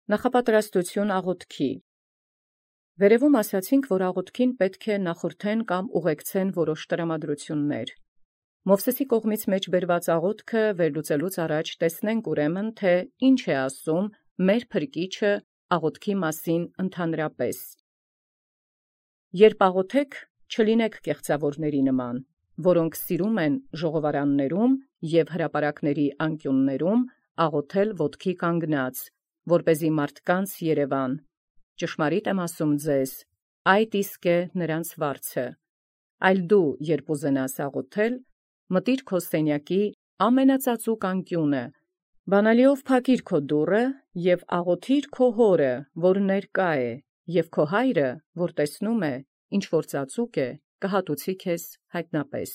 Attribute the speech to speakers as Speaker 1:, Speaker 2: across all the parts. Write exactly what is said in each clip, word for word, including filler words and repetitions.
Speaker 1: Նախապատրաստություն աղոթքի։ Վերևում ասացինք, որ աղոթքին պետք է նախորդեն կամ ուղեկցեն որոշ տրամադրություններ։ Մովսէսի կողմից մեջ բերված աղոթքը վերլուծելուց առաջ տեսնենք ուրեմն, թե ինչ է ասում մեր Փրկիչը աղոթքի մասին ընդհանրապես։ Երբ աղոթեք, չլինեք կեղծավորների նման, որոնք սիրում են ժողովարաններում և հրապարակների անկյուններում աղոթել ոտքի կանգնած, որպեսզի մարդկանց երևան։ Ճշմարիտ եմ ասում ձեզ, այդ իսկ է նրանց վարձը։ Այլ դու, երբ ուզենաս աղոթել, մտիր քո սենյակի ամենածածուկ անկյունը, բանալիով փակիր քո դուռը և աղոթիր քո հորը, որ ներկա է, և քո հայրը, որ տեսնում է, ինչ որ ծածուկ է, կհատուցի քեզ հայտնապես։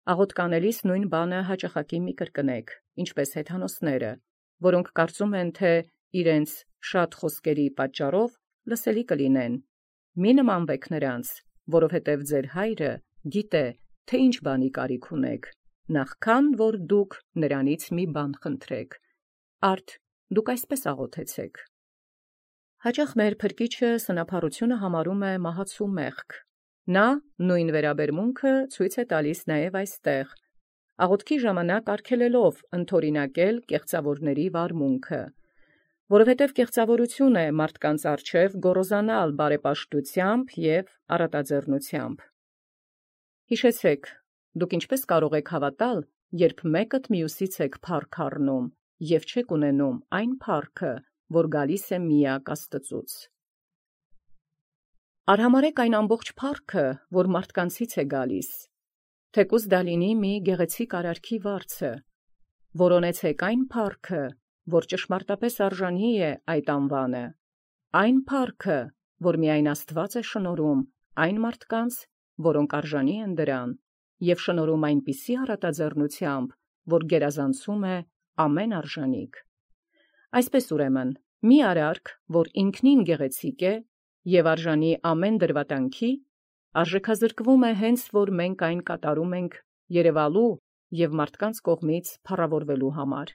Speaker 1: Աղոթքանելիս նույն բանը հաճախակի մի կրկնեք, ինչպես հեթանոսները, որոնք կարծում են, թե իրենց շատ խոսքերի պատճառով լսելի կլինեն։ Մի նմանվեք նրանց, որովհետև ձեր հայրը գիտե, թե ինչ բանի կարիք ունեք, նախքան որ դուք նրանից մի բան խնդրեք։ Արդ դուք այսպես աղոթեցեք։ Հաճախ մեր Փրկիչը սնափառությունը համարում է մահացու մեղք։ Նա նույն վերաբերմունքը ցույց է տալիս նաև այստեղ, աղոթքի ժամանակ արգելելով ընդօրինակել կեղծավորների վարմունքը, որովհետև կեղծավորություն է մարդկանց առջև գոռոզանալ բարեպաշտությամբ և առատաձեռնությամբ։ Հիշեցեք, դուք ինչպես կարող եք հավատալ, երբ մեկդ մյուսից եք փառք առնում և չեք ունենում այն փառքը, որ գալիս է միակ Աստծուց։ Արհամարհեք այն ամբողջ փառքը, որ մարդկանցից է գալիս, թեկուզ դա լինի մի գեղեցիկ արարքի վարձը, որոնեցեք այն փառքը, որ ճշմարտապես արժանի է այդ անվանը, այն փառքը, որ միայն Աստված է շնորհում այն մարդկանց, որոնք արժանի են դրան, և շնորհում այնպիսի առատաձեռնությամբ, որ գերազանցում է ամեն արժանիք։ Այսպես ուրեմն, մի արարք, որ ինքնին գեղեցիկ է և արժանի ամեն դրվատանքի, արժեքազրկվում է հենց որ մենք այն կատարում ենք երևալու և մարդկանց կողմից փառավորվելու համար։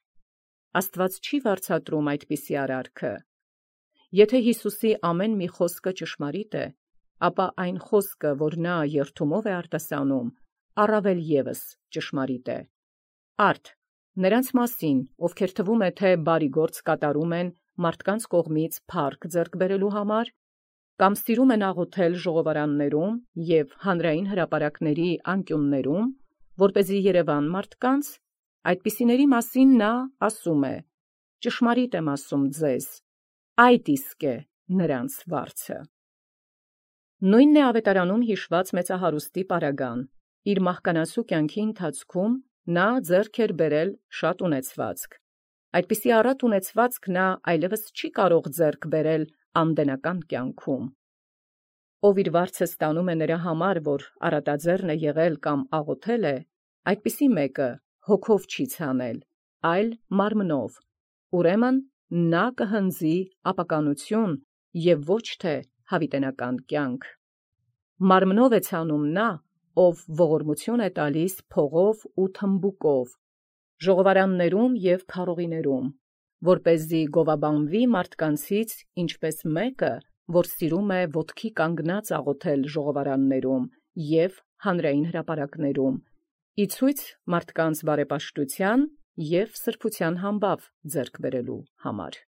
Speaker 1: Աստված չի վարձատրում այդպիսի արարքը։ Եթե Հիսուսի ամեն մի խոսքը ճշմարիտ է, ապա այն խոսքը, որ նա երդումով է արտասանում, առավել ևս ճշմարիտ է։ Արդ նրանց մասին, ովքեր թվում է, թե բարի գործ կատարում են մարդկանց կողմից փառք ձեռք բերելու համար, կամ սիրում են աղոթել ժողովարաններում և հանրային հրապարակների անկյուններում, որպեսզի երևան մարդկանց, այդպիսիների մասին նա ասում է. ճշմարիտ եմ ասում ձեզ, այդ իսկ է նրանց վարձը։ Նույնն է Ավետարանում հիշված մեծահարուստի պարագան։ Իր մահկանացու կյանքի ընթացքում նա ձեռք էր բերել շատ ունեցվածք։ Այդպիսի առատ ունեցվածք նա այլևս չի կարող ձեռք բերել անդենական կյանքում։ Ով իր վարձը ստանում է նրա համար, որ առատաձեռն է եղել կամ աղոթել է, այդպիսի մեկը հոգով չի ցանել, այլ մարմնով, ուրեմն նա կհնձի ապականություն և ոչ թե հավիտենական կյանք։ Մարմնով է ցանում նա, ով ողորմություն է տալիս փողով ու թմբուկով, ժողովարաններում և քարողիներում, որպեսզի գովաբանվի մարդկանցից ինչպես մեկը, որ սիրում է ոտքի կանգնած աղոթել ժողովարաններում և հանրային հրապարակներում, ի ցույց մարդկանց բարեպաշտության և սրբության համբավ ձեռք բերելու համար։